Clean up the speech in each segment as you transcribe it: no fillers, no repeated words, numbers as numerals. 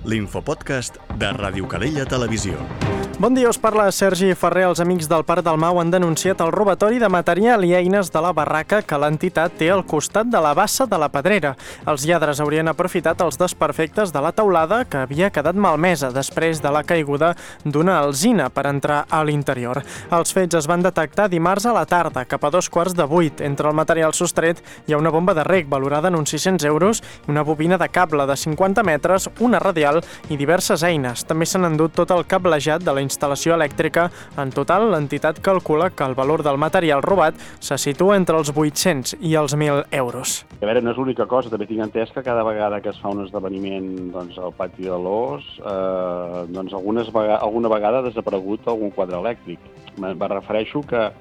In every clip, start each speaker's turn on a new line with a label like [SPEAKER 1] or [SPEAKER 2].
[SPEAKER 1] l'infopodcast de Ràdio Calella Televisió.
[SPEAKER 2] Bon dia, us parla Sergi Ferrer. Els amics del Parc del Mau han denunciat el robatori de material i eines de la barraca que l'entitat té al costat de la bassa de la Pedrera. Els lladres haurien aprofitat els desperfectes de la teulada que havia quedat malmesa després de la caiguda d'una alzina per entrar a l'interior. Els fets es van detectar dimarts a la tarda, cap a 7:45. Entre el material sostret hi ha una bomba de reg valorada en uns 600 euros, una bobina de cable de 50 metres, una radial i diverses eines. També s'han endut tot el cablejat de la instal·lació elèctrica. En total, l'entitat calcula que el valor del material robat se situa entre els 800 i els 1.000 euros.
[SPEAKER 3] A veure, no és l'única cosa, també tinc entès que cada vegada que es fa un esdeveniment al pati de l'Os, alguna vegada ha desaparegut algun quadre elèctric. Me refereixo que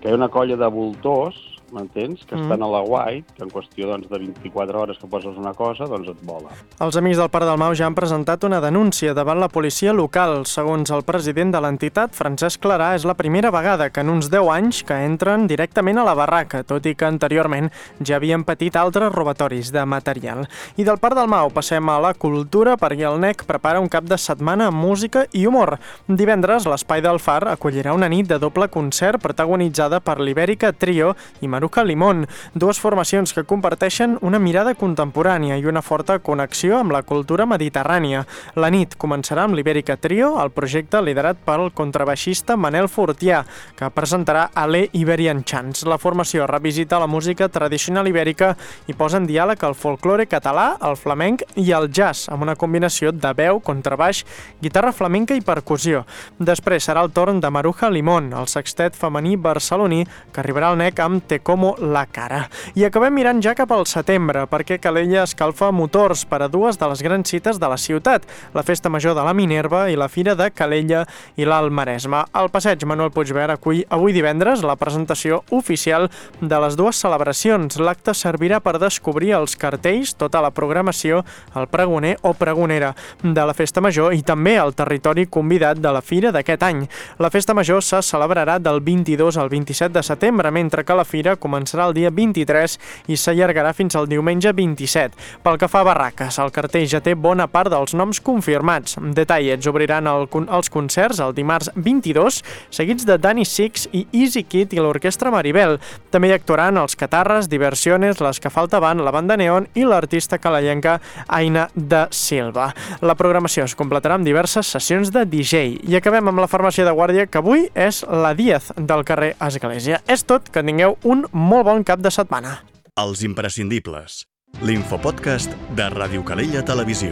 [SPEAKER 3] hi ha una colla de voltors, m'entens, que estan a la White, que en qüestió de 24 hores que poses una cosa, et vola.
[SPEAKER 2] Els amics del Parc del Mau ja han presentat una denúncia davant la policia local. Segons el president de l'entitat, Francesc Clarà, és la primera vegada que en uns 10 anys que entren directament a la barraca, tot i que anteriorment ja havien patit altres robatoris de material. I del Parc del Mau passem a la cultura, perquè el NEC prepara un cap de setmana amb música i humor. Divendres, l'Espai del Far acollirà una nit de doble concert protagonitzada per l'Ibèrica Trio i Maruja Limón, dues formacions que comparteixen una mirada contemporània i una forta connexió amb la cultura mediterrània. La nit començarà amb l'Ibèrica Trio, el projecte liderat pel contrabaixista Manel Fortià, que presentarà Ale Iberian Chants. La formació revisita la música tradicional ibèrica i posa en diàleg el folklore català, el flamenc i el jazz, amb una combinació de veu, contrabaix, guitarra flamenca i percussió. Després serà el torn de Maruja Limón, el sextet femení barceloní, que arribarà al NEC amb Te como la cara. I acabem mirant ja cap al setembre, perquè Calella escalfa motors per a dues de les grans cites de la ciutat, la Festa Major de la Minerva i la Fira de Calella i l'Alt Maresme. El passeig Manuel Puigverd acull avui divendres la presentació oficial de les dues celebracions. L'acte servirà per descobrir els cartells, tota la programació, el pregoner o pregonera de la Festa Major i també el territori convidat de la Fira d'aquest any. La Festa Major se celebrarà del 22 al 27 de setembre, mentre que la Fira començarà el dia 23 i s'allargarà fins al diumenge 27. Pel que fa a barraques, el cartell ja té bona part dels noms confirmats. Detallets obriran els concerts el dimarts 22, seguits de Danny Six i Easy Kid i l'Orquestra Maribel. També hi actuaran els Catarres, Diversiones, les que faltaven, la Banda Neon i l'artista calellenca Aina de Silva. La programació es completarà amb diverses sessions de DJ. I acabem amb la farmàcia de guàrdia, que avui és la Díaz del carrer Església. És tot, que tingueu un molt bon cap de setmana.
[SPEAKER 1] Els imprescindibles. L'infopodcast de Ràdio Calella Televisió.